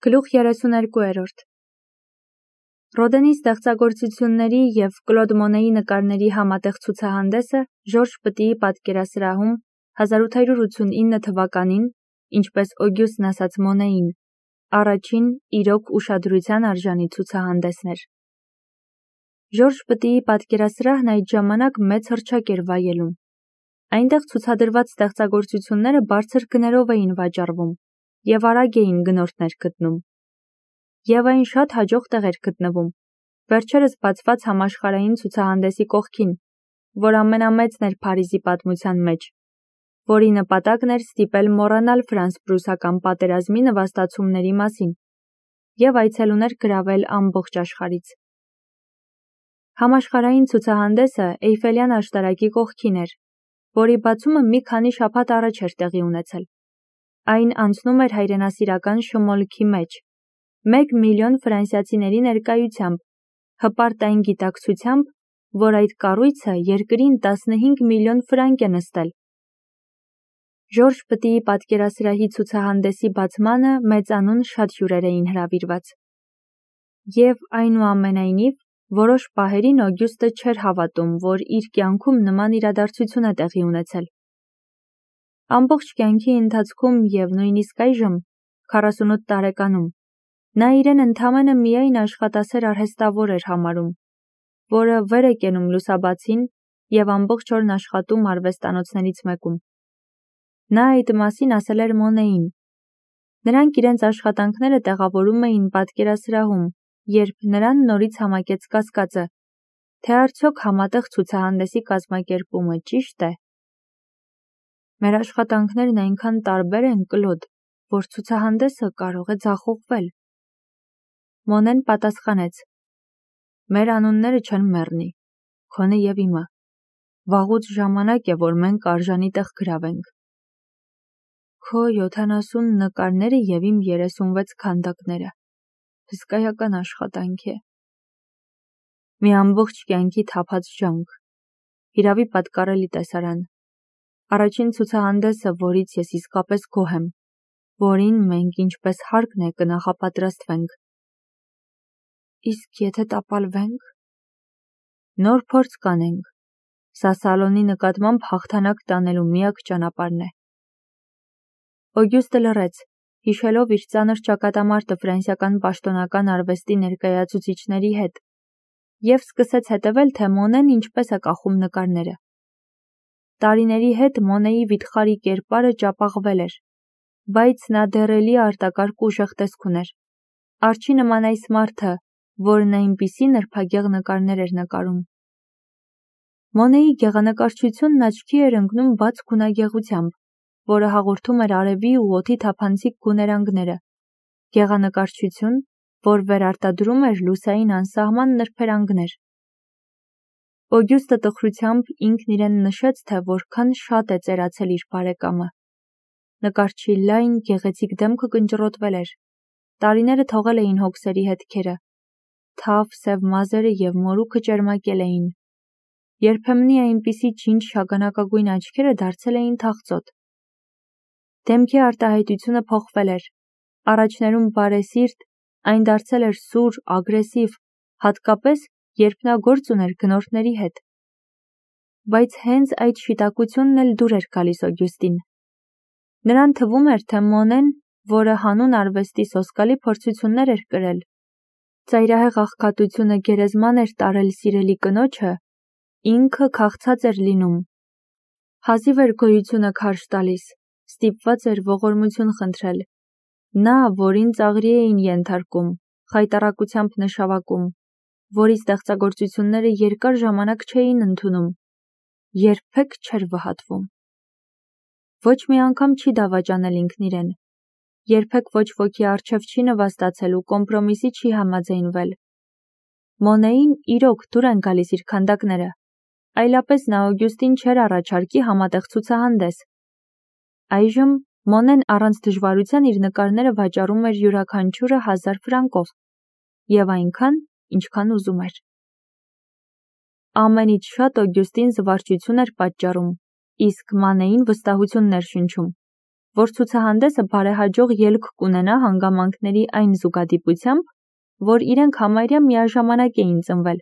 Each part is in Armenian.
Գլուխ 32 Ռոդենի ստեղծագործությունների և Կլոդ Մոնեի նկարների համատեղ ցուցահանդեսը Ժորժ Պտիի պատկերասրահում 1889 թվականին, ինչպես Օգյուստն ասաց Մոնեին, առաջին իրոք ուշադրության արժանի ցուցահանդեսն էր։ Ժորժ Պտիի պատկերասրահն այդ ժամանակ մեծ հռչակ էր վայելում։ Այնտեղ ցուցադրված ստեղծագործությունները բարձր գներով էին վաճառվում և արագ էին գնորդներ գտնում։ Եվ այն շատ հաջող տեղ էր գտնվում, վերջերս բացված համաշխարհային ցուցահանդեսի կողքին, որ ամենամեծն էր Փարիզի պատմության մեջ, որի նպատակն էր ստիպել մոռանալ ֆրանս-պրուսական պատերազմի նվաստացումների մասին և այցելուներ գրավել ամբողջ աշխարհից։ Համաշխարհային ցուցահանդեսը Էյֆելյան աշտարակի կողքին էր, որի բացումը մի քանի շաբաթ առաջ էր տեղի ունեցել։ Այն անցնում էր հայրենասիրական շմոլքի մեջ, 1 միլիոն ֆրանսիացիների ներկայությամբ, հպարտ այն գիտակցությամբ, որ այդ կառույցը երկրին 15 միլիոն ֆրանկ է նստել։ Ժորժ Պտիի պատկերասրահի ցուցահանդեսի բացմանը մեծանուն շատ հյուրեր էին հրավիրված։ Եվ այնուամենայնիվ, որոշ պահերին Օգյուստը չէր հավատում, որ իր կյանքում նման իրադարձություն է տեղի ունեցել։ Ամբողջ կյանքի ընթացքում և նույնիսկ այժմ, 48 տարեկանում, նա իրեն ընդամենը միայն աշխատասեր արհեստավոր էր համարում, որը վեր է կենում լուսաբացին և ամբողջ օրն աշխատում արվեստանոցներից մեկում։ Նա այդ մասին ասել էր Մոնեին։ Նրանք իրենց աշխատանքները տեղավորում էին պատկերասրահում, երբ նրան նորից համակեց կասկածը, թե արդյոք համատեղ ցուցահանդեսի կազմակերպումը ճի՞շտ է։ Մեր աշխատանքներն այնքան տարբեր են, Կլոդ, որ ցուցահանդեսը կարող է ձախողվել։ Մոնեն պատասխանեց. Մեր անունները չեն մեռնի, քոնը և իմը։ Վաղուց ժամանակ է, որ մենք արժանի տեղ գրավենք։ Քո 70 նկարները և իմ 36 քանդակները։ Հսկայական աշխատանք է։ Մի ամբողջ կյանքի թափած ջանք։ Հիրավի պատկառելի տեսարան։ Առաջին ցուցահանդեսը, որից ես իսկապես գոհ եմ, որին մենք ինչպես հարկն է կնախապատրաստվենք։ Իսկ եթե տապալվենք։ Նոր փորձ կանենք։ Սա Սալոնի նկատմամբ հաղթանակ տանելու միակ ճանապարհն է։ Օգյուստը լռեց, հիշելով իր ծանր ճակատամարտը ֆրանսիական պաշտոնական արվեստի ներկայացուցիչների հետ, և սկսեց հետևել, թե Մոնեն ինչպես է կախում նկարները։ Տարիների հետ Մոնեի վիթխարի կերպարը ճապաղվել էր, բայց նա դեռ էլի արտակարգ ուժեղ տեսք ուներ։ Արջի նման այս մարդը, որն այնպիսի նրբագեղ նկարներ էր նկարում։ Մոնեի գեղանկարչությունն աչքի էր ընկնում բաց գունագեղությամբ, որը հաղորդում էր արևի ու օդի թափանցիկ գուներանգները, գեղանկարչություն, որ վերարտադրում էր լուսային անսահման նրբերանգներ։ Օգյուստը տխրությամբ ինքն իրեն նշեց, թե որքան շատ է ծերացել իր բարեկամը։ Նկարչի լայն, գեղեցիկ դեմքը կնճռոտվել էր, տարիները թողել էին հոգսերի հետքերը, թավ սև մազերը և մորուքը ճերմակել էին։ Երբեմնի այնպիսի ջինջ շագանակագույն աչքերը դարձել էին թախծոտ։ Դեմքի արտահայտությունը փոխվել էր, առաջներում բարեսիրտ, այն դարձել էր սուր, ագրեսիվ, հատկապես, երբ նա գործ ուներ գնորդների հետ։ Բայց հենց այդ շիտակությունն էլ դուր էր գալիս Օգյուստին։ Նրան թվում էր, թե Մոնեն, որը հանուն արվեստի սոսկալի փորձություններ էր կրել, ծայրահեղ աղքատությունը գերեզման էր տարել սիրելի կնոջը, ինքը քաղցած էր լինում։ Հազիվ էր գոյությունը քարշ տալիս, ստիպված էր ողորմություն խնդրել։ Նա, որին ծաղրի էին ենթարկում, խայտառակությամբ նշավակում, որի ստեղծագործությունները երկար ժամանակ չէին ընդունում, երբեք չէր վհատվում։ Ոչ մի անգամ չի դավաճանել ինքն իրեն, երբեք ոչ ոքի առջև չի նվաստացել ու կոմպրոմիսի չի համաձայնվել։ Մոնեին իրոք դուր են գալիս իր քանդակները, այլապես նա Օգյուստին չէր առաջարկի համատեղ ցուցահանդես։ Այժմ Մոնեն առանց դժվարության իր նկարները վաճառում էր յուրաքանչյուրը 1000 ֆրանկով և այնքան, ինչքան ուզում էր։ Ամենից շատ Օգյուստին զվարճություն էր պատճառում, իսկ Մանեին վստահություն էր շնչում, որ ցուցահանդեսը բարեհաջող ելք կունենա հանգամանքների այն զուգադիպությամբ, որ իրենք համարյա միաժամանակ էին ծնվել,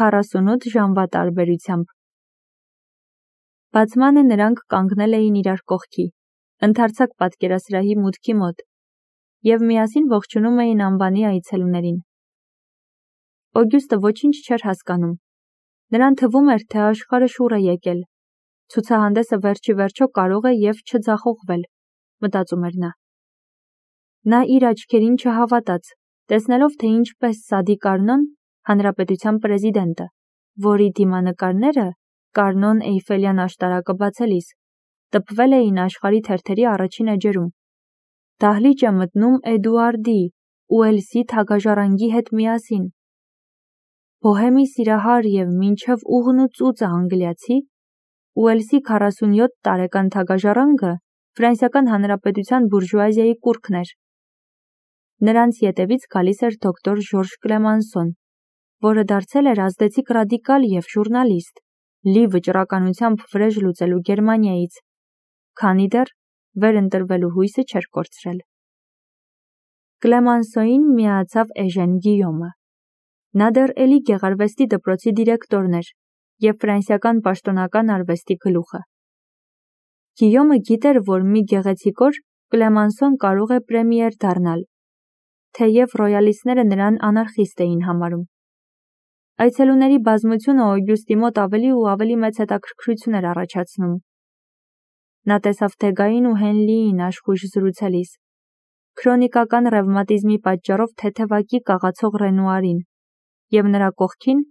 48 ժամվա տարբերությամբ։ Բացմանը նրանք կանգնել էին իրար կողքի, ընդարձակ պատկերասրահի մուտքի մոտ, և միասին ողջունում էին անվանի այցելուներին։ Օգյուստը ոչինչ չէր հասկանում։ Նրան թվում էր, թե աշխարհը շուռ է եկել։ Ցուցահանդեսը վերջի վերջո կարող է և չձախողվել, մտածում էր նա։ Նա իր աչքերին չհավատաց, տեսնելով, թե ինչպես Սադի Կարնոն, հանրապետության պրեզիդենտը, որի դիմանկարները Կարնոն Էյֆելյան աշտարակը բացելիս, տպվել էին աշխարհի թերթերի առաջին էջերում։ Դահլիճ է մտնում Էդուարդի, Ուելսի թագաժառանգի հետ միասին։ Բոհեմի սիրահար և մինչև ուղն ու ծուծը անգլիացի, Ուելսի 47 տարեկան թագաժառանգը Ֆրանսիական Հանրապետության բուրժուազիայի կուռքն էր։ Նրանց ետևից գալիս էր դոկտոր Ժորժ Կլեմանսոն, որը դարձել էր ազդեցիկ ռադիկալ և ժուռնալիստ, լի վճռականությամբ վրեժ լուծելու Գերմանիայից, քանի դեռ վերընտրվելու հույսը չէր կորցրել։ Կլեմանսոին միացավ Էժեն Գիյոմը։ Նա դեռ էլի գեղարվեստի դպրոցի դիրեկտորն էր և ֆրանսիական պաշտոնական արվեստի գլուխը։ Գիյոմը գիտեր, որ մի գեղեցիկ օր Կլեմանսոն կարող է պրեմիեր դառնալ, թեև ռոյալիստները նրան անարխիստ էին համարում։ Այցելուների բազմությունը Օգյուստի մոտ ավելի ու ավելի մեծ հետաքրքրություն էր առաջացնում։ Նա տեսավ Դեգային ու Հենլիին աշխույժ զրուցելիս, քրոնիկական ռևմատիզմի պատճառով թեթևակի կաղացող Ռենուարին և նրա կողքին,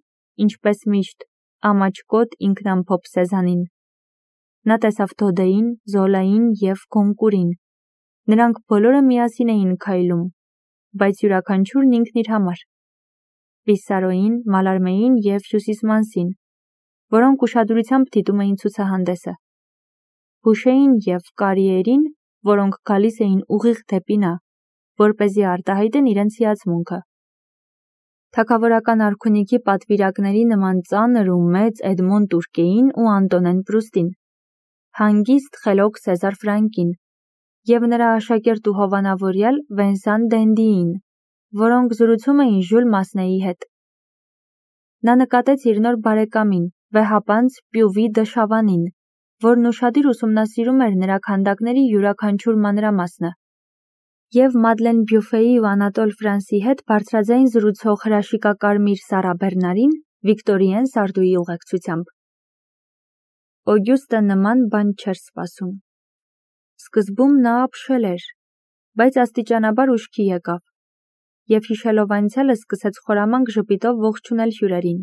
ինչպես միշտ, ամաչկոտ ինքնամփոփ Սեզանին։ Նա տեսավ Դոդեին, Զոլային և Գոնկուրին։ Նրանք բոլորը միասին էին քայլում, բայց յուրաքանչյուրն ինքն իր համար։ Պիսարոյին, Մալարմեին և Հյուսիսմանսին, որոնք ուշադրությամբ դիտում էին ցուցահանդեսը։ Բուշեին և Կարիերին, որոնք գալիս էին ուղիղ դեպի նա, որպեսզի արտահայտեն իրենց հիացմունքը։ Թագավորական արքունիքի պատվիրակների նման ծանր ու մեծ Էդմոն Տուրկեին ու Անտոնեն Պրուստին, հանգիստ խելոք Սեզար Ֆրանկին և նրա աշակերտ ու հովանավորյալ Վենսան Դենդիին, որոնք զրուցում էին Ժյուլ Մասնեի հետ։ Նա նկատեց իր նոր բարեկամին, վեհապանծ Պյուվի դը Շավանին, որն ուշադիր ուսումնասիրում էր նրա քանդակների յուրաքանչյուր մանրամասնը, և Մադլեն Բյուֆեի ու Անատոլ Ֆրանսի հետ բարձրաձայն զրուցող հրաշիկակարմիր Սարա Բեռնարին Վիկտորիեն Սարդուի ուղեկցությամբ։ Օգյուստը նման բան չէր սպասում։ Սկզբում նա ապշել էր, բայց աստիճանաբար ուշքի եկավ, և հիշելով անցյալը սկսեց խորամանկ ժպիտով ողջունել հյուրերին։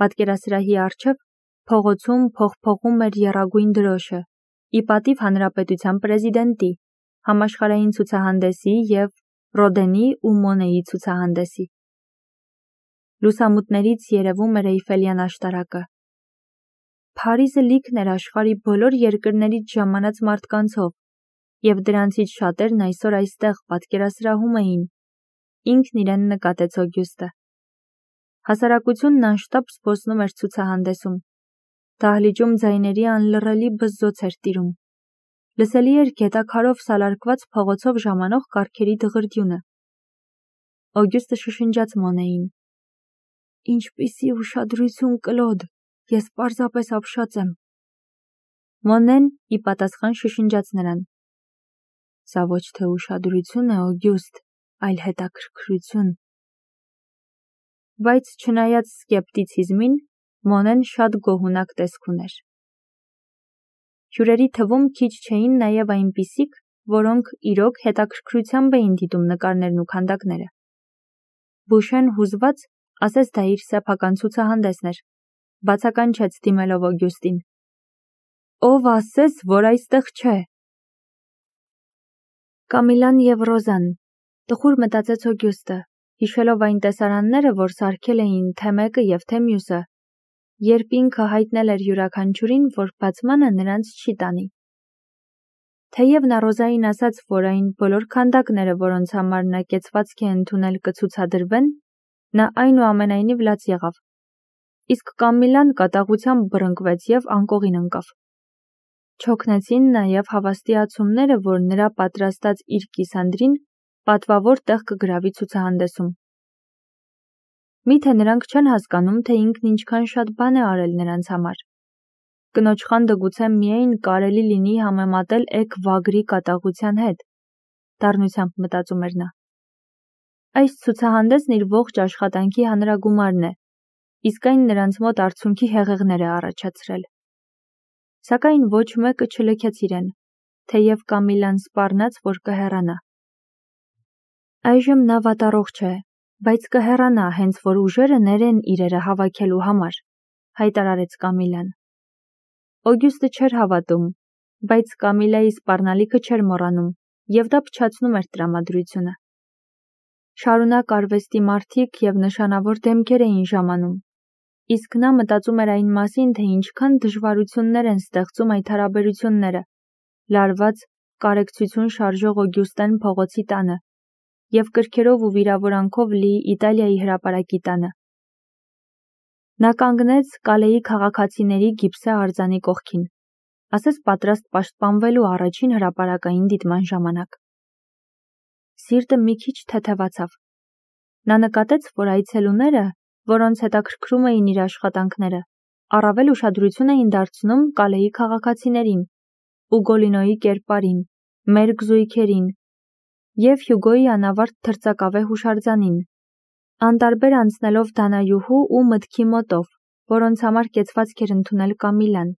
Պատկերասրահի առջև փողոցում փողփողում էր եռագույն դրոշը, ի պատիվ հանրապետության պրեզիդենտի, համաշխարհային ցուցահանդեսի և Ռոդենի ու Մոնեի ցուցահանդեսի։ Լուսամուտներից երևում էր Էյֆելյան աշտարակը։ Փարիզը լիքն էր աշխարհի բոլոր երկրներից ժամանած մարդկանցով, և դրանցից շատերն այսօր այստեղ պատկերասրահում էին, ինքն իրեն նկատեց Օգյուստը։ Հասարակությունն անշտապ զբոսնում էր ցուցահանդեսում։ Դահլիճում ձայների անլռելի բզզոց էր տիրում։ Լսելի էր գետաքարով սալարկված փողոցով ժամանող կառքերի դղրդյունը։ Օգյուստը շշնջաց Մոնեին. «Ինչպիսի ուշադրություն, Կլոդ, ես պարզապես ապշած եմ»։ Մոնեն ի պատասխան շշնջաց նրան. «Սա ոչ թե ուշադրություն է, Օգյուստ, այլ հետաքրքրություն»։ Բայց չնայած սկեպտիցիզմին, Մոնեն շատ գոհունակ տեսք ուներ։ Հյուրերի թվում քիչ չէին նաև այնպիսիք, որոնք իրոք հետաքրքրությամբ էին դիտում նկարներն ու քանդակները։ Բուշեն հուզված ասես դա իր սեփական ցուցահանդեսն էր, բացականչեց դիմելով Օգյուստին. «Ով ասես, որ այստեղ չէ»։ Կամիլան և Ռոզան, տխուր մտածեց Օգյուստը, հիշելով այն տեսարանները, որ սարքել էին թե մեկը և թե մյուսը, երբ ինքը հայտնել էր յուրաքանչյուրին, որ բացմանը նրանց չի տանի։ Թեև նա Ռոզային ասաց, որ այն բոլոր քանդակները, որոնց համար նա կեցվածք է ընդունել, կցուցադրվեն, նա այնուամենայնիվ լաց եղավ։ Իսկ Կամիլան կատաղությամբ բռնկվեց և անկողին ընկավ։ Չօգնեցին նաև հավաստիացումները, որ նրա պատրաստած իր կիսանդրին պատվավոր տեղ կգրավի ցուցահանդեսում։ Միթե նրանք չեն հասկանում, թե ինքն ինչքան շատ բան է արել նրանց համար։ Կնոջ խանդը գուցե միայն կարելի լինի համեմատել էգ վագրի կատաղության հետ, դառնությամբ մտածում էր նա։ Այս ցուցահանդեսն իր ողջ աշխատանքի հանրագումարն է, իսկ այն նրանց մոտ արցունքի հեղեղներ է առաջացրել։ Սակայն ոչ մեկը չլքեց իրեն, թեև Կամիլան սպառնաց, որ կհեռանա։ Այժմ նա վատառողջ է, բայց կհեռանա, հենց որ ուժերը ներեն իրերը հավաքելու համար, հայտարարեց Կամիլան։ Օգյուստը չէր հավատում, բայց Կամիլայի սպառնալիքը չէր մոռանում, և դա փչացնում էր տրամադրությունը։ Շարունակ արվեստի մարդիկ և նշանավոր դեմքեր էին ժամանում, իսկ նա մտածում էր այն մասին, թե ինչքան դժվարություններ են ստեղծում այդ հարաբերությունները, լարված կարեկցություն շարժող Օգյուստեն փողոցի տանը և կրքերով ու վիրավորանքով լի Իտալիայի հրապարակի տանը։ Նա կանգնեց Կալեի քաղաքացիների գիպսե արձանի կողքին, ասես պատրաստ պաշտպանվելու առաջին հրապարակային դիտման ժամանակ։ Սիրտը մի քիչ թեթևացավ։ Նա նկատեց, որ այցելուները, որոնց հետաքրքրում էին իր աշխատանքները, առավել ուշադրություն էին դարձնում Կալեի քաղաքացիներին, Ուգոլինոյի կերպարին, մերկ զույգերին և Հյուգոյի անավարտ թրծակավե հուշարձանին, անտարբեր անցնելով դանայուհու ու մտքի մոտով, որոնց համար կեցվածք էր ընդունել Կամիլան,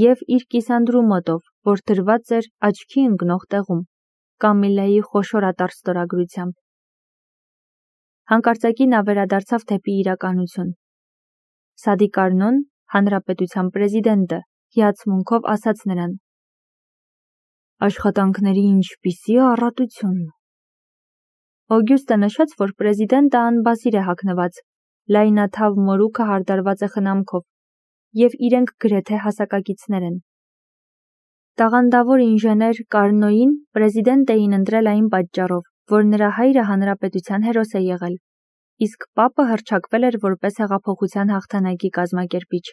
և իր կիսանդրու մոտով, որ դրված էր աչքի ընկնող տեղում, Կամիլայի խոշորատար ստորագրությամբ։ Հանկարծակի նա վերադարձավ դեպի իրականություն։ Սադի Կարնոն, հանրապետության պրեզիդենտը, հիացմունքով ասաց նրան. Աշխատանքների ինչպիսի առատություն։ Օգյուստը նշեց, որ պրեզիդենտը անբասիր է հագնված, լայնաթավ մորուքը հարդարված է խնամքով, և իրենք գրեթե հասակակիցներ են։ Տաղանդավոր ինժեներ Կարնոյին պրեզիդենտ էին ընտրել այն պատճառով, որ նրա հայրը հանրապետության հերոս է եղել, իսկ պապը հռչակվել էր որպես հեղափոխության հաղթանակի կազմակերպիչ,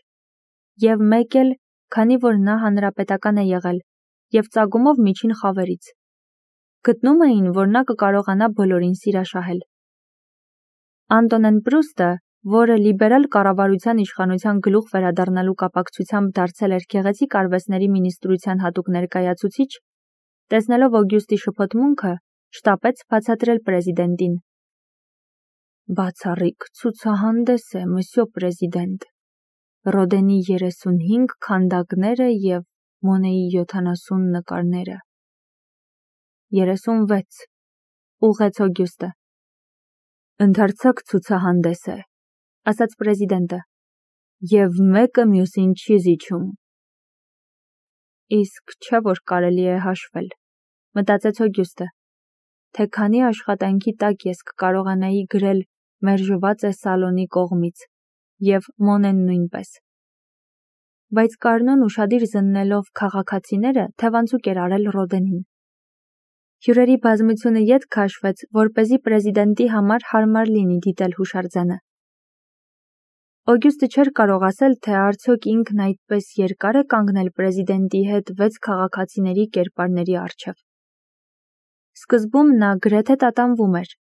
և մեկ էլ, քանի որ նա հանրապետական է եղել և ծագումով միջին խավերից։ Գտնում էին, որ նա կկարողանա բոլորին սիրաշահել։ Անտոնեն Պրուստը, որը լիբերալ կառավարության իշխանության գլուխ վերադառնալու կապակցությամբ դարձել էր գեղեցիկ արվեստների մինիստրության հատուկ ներկայացուցիչ, տեսնելով Օգյուստի շփոթմունքը, շտապեց բացատրել պրեզիդենտին. Բացառիկ ցուցահանդես է, մսյո պրեզիդենտ, Ռոդենի 35 քանդակները և Մոնեի 70 նկարները։ 36, ուղղեց Օգյուստը։ Ընդարձակ ցուցահանդես է, ասաց պրեզիդենտը, և մեկը մյուսին չի զիջում։ Իսկ չէ, որ կարելի է հաշվել, մտածեց Օգյուստը, թե քանի աշխատանքի տակ ես կկարողանայի գրել մերժված է Սալոնի կողմից, և Մոնեն նույնպես։ Բայց Կարնոն ուշադիր զննելով քաղաքացիները, թևանցուկ էր արել Ռոդենին։ Հյուրերի բազմությունը ետ քաշվեց, որպեսզի պրեզիդենտի համար հարմար լինի դիտել հուշարձանը։ Օգյուստը չէր կարող ասել, թե արդյոք ինքն այդպես երկար է կանգնել պրեզիդենտի հետ 6 քաղաքացիների կերպարների առջև։ Սկզբում նա գրեթե տատանվում էր,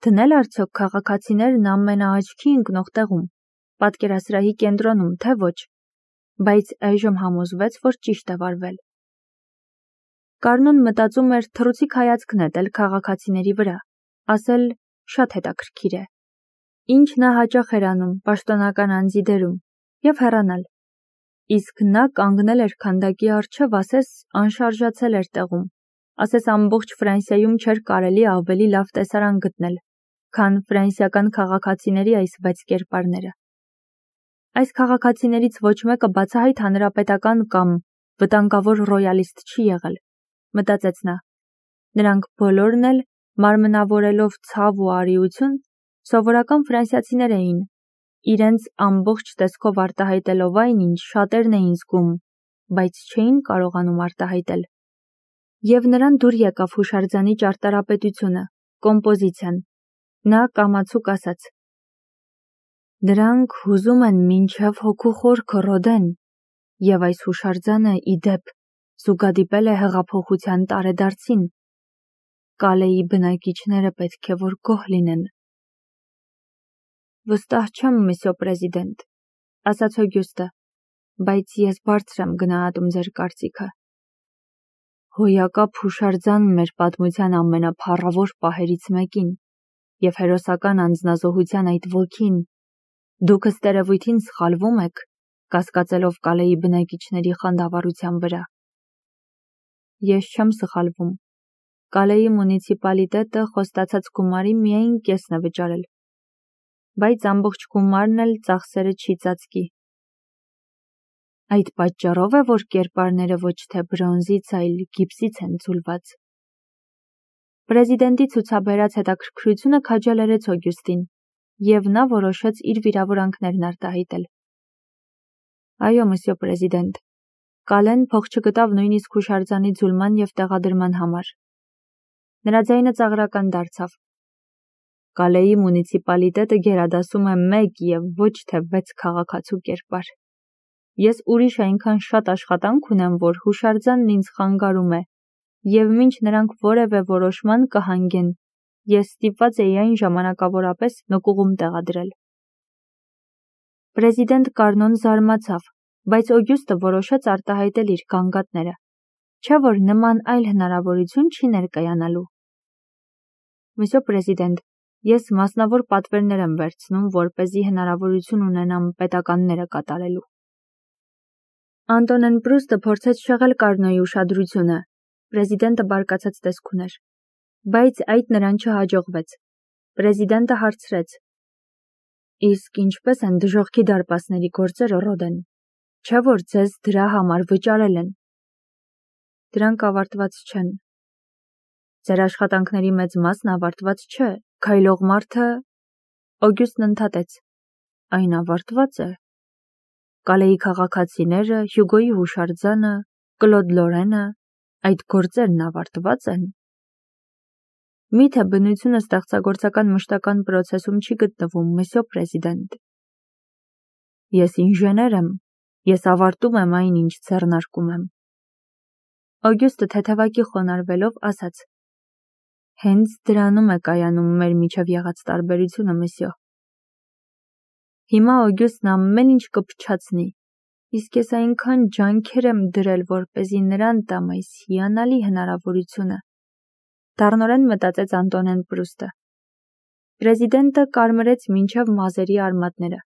դնել արդյոք քաղաքացիներն ամենաաչքի ընկնող տեղում, պատկերասրահի կենտրոնում, թե ոչ, բայց այժմ համոզվեց, որ ճիշտ է վարվել։ Կարնոն մտածում էր թռուցիկ հայացք նետել քաղաքացիների վրա, ասել շատ հետաքրքիր է, ինչ նա հաճախ էր անում պաշտոնական անձի դերում, և հեռանալ։ Իսկ նա կանգնել էր քանդակի առջև, ասես անշարժացել էր տեղում, ասես ամբողջ Ֆրանսիայում չէր կարելի ավելի լավ տեսարան գտնել, քան ֆրանսիական քաղաքացիների այս 6 կերպարները։ Այս քաղաքացիներից ոչ մեկը բացահայտ հանրապետական կամ վտանգավոր ռոյալիստ չի եղել, մտածեց նա։ Նրանք բոլորն էլ, մարմնավորելով ցավ ու արիություն, սովորական ֆրանսիացիներ էին, իրենց ամբողջ տեսքով արտահայտելով այն, ինչ շատերն էին զգում, բայց չէին կարողանում արտահայտել։ Եվ նրան դուր եկավ հուշարձանի ճարտարապետությունը, կոմպոզիցիան։ Նա կամացուկ ասաց. Նրանք հուզում են մինչև հոգու խորքը, Ռոդեն, և այս հուշարձանը ի դեպ զուգադիպել է հեղափոխության տարեդարձին։ Կալեի բնակիչները պետք է որ գոհ լինեն։ Վստահ չեմ, միսյո պրեզիդենտ, ասաց Օգյուստը, բայց ես բարձր եմ գնահատում ձեր կարծիքը։ Հոյակապ հուշարձանն էր պատմության ամենափառավոր պահերից մեկին, և հերոսական անձնազոհության այդ ոգին, դուք ըստ երևույթին սխալվում եք, կասկածելով Կալեի բնակիչների խանդավառության վրա։ Ես չեմ սխալվում։ Կալեի մունիցիպալիտետը խոստացած գումարի միայն կեսն է վճարել, բայց ամբողջ գումարն էլ ծախսերը չի ծածկի։ Այդ պատճառով է, որ կերպարները ոչ թե բրոնզից, այլ գիպսից են ձուլված։ Պրեզիդենտի ցուցաբերած հետաքրքրությունը քաջալերեց Օգյուստին, և նա որոշեց իր վիրավորանքներն արտահայտել։ Այո, մսյո պրեզիդենտ, Կալեն փող չգտավ նույնիսկ հուշարձանի ձուլման և տեղադրման համար։ Նրա ձայնը ծաղրական դարձավ։ Կալեի մունիցիպալիտետը գերադասում է 1 և ոչ թե 6 քաղաքացու կերպար։ Ես ուրիշ այնքան շատ աշխատանք ունեմ, որ հուշարձանն ինձ խանգարում է, և մինչ նրանք որևէ որոշման կհանգեն, ես ստիպված էի այն ժամանակավորապես նկուղում տեղադրել։ Պրեզիդենտ Կարնոն զարմացավ, բայց Օգյուստը որոշեց արտահայտել իր գանգատները, չէ՞ որ նման այլ հնարավորություն չի ներկայանալու։ Մսյո պրեզիդենտ, ես մասնավոր պատվերներ եմ վերցնում, որպեսզի հնարավորություն ունենամ պետականները կատարելու։ Անտոնեն Պրուստը փորձեց շեղել Կարնոյի ուշադրությունը, պրեզիդենտը բարկացած տեսք ուներ, բայց այդ նրան չհաջողվեց։ Պրեզիդենտը հարցրեց. Իսկ ինչպես են դժոխքի դարպասների գործերը, Ռոդեն, չէ՞ որ ձեզ դրա համար վճարել են։ Դրանք ավարտված չեն։ Ձեր աշխատանքների մեծ մասն ավարտված չէ, քայլող մարդը… Օգյուստն ընդհատեց. Այն ավարտված է։ Կալեի քաղաքացիները, Հյուգոյի հուշարձանը, Կլոդ Լորենը, այդ գործերն ավարտված են։ Միթե բնությունը ստեղծագործական մշտական պրոցեսում չի գտնվում, մսյո պրեզիդենտ։ Ես ինժեներ եմ, ես ավարտում եմ այն, ինչ ձեռնարկում եմ։ Օգյուստը թեթևակի խոնարհվելով ասաց. Հենց դրանում է կայանում մեր միջև եղած տարբերությունը, մսյո։ Հիմա Օգյուստն ամեն ինչ կփչացնի, իսկ ես այնքան ջանքեր եմ դրել, որպեսզի նրան տամ այս հիանալի հնարավորությունը։ Դառնորեն մտածեց Անտոնեն Պրուստը։ Պրեզիդենտը կարմրեց մինչև մազերի արմատները։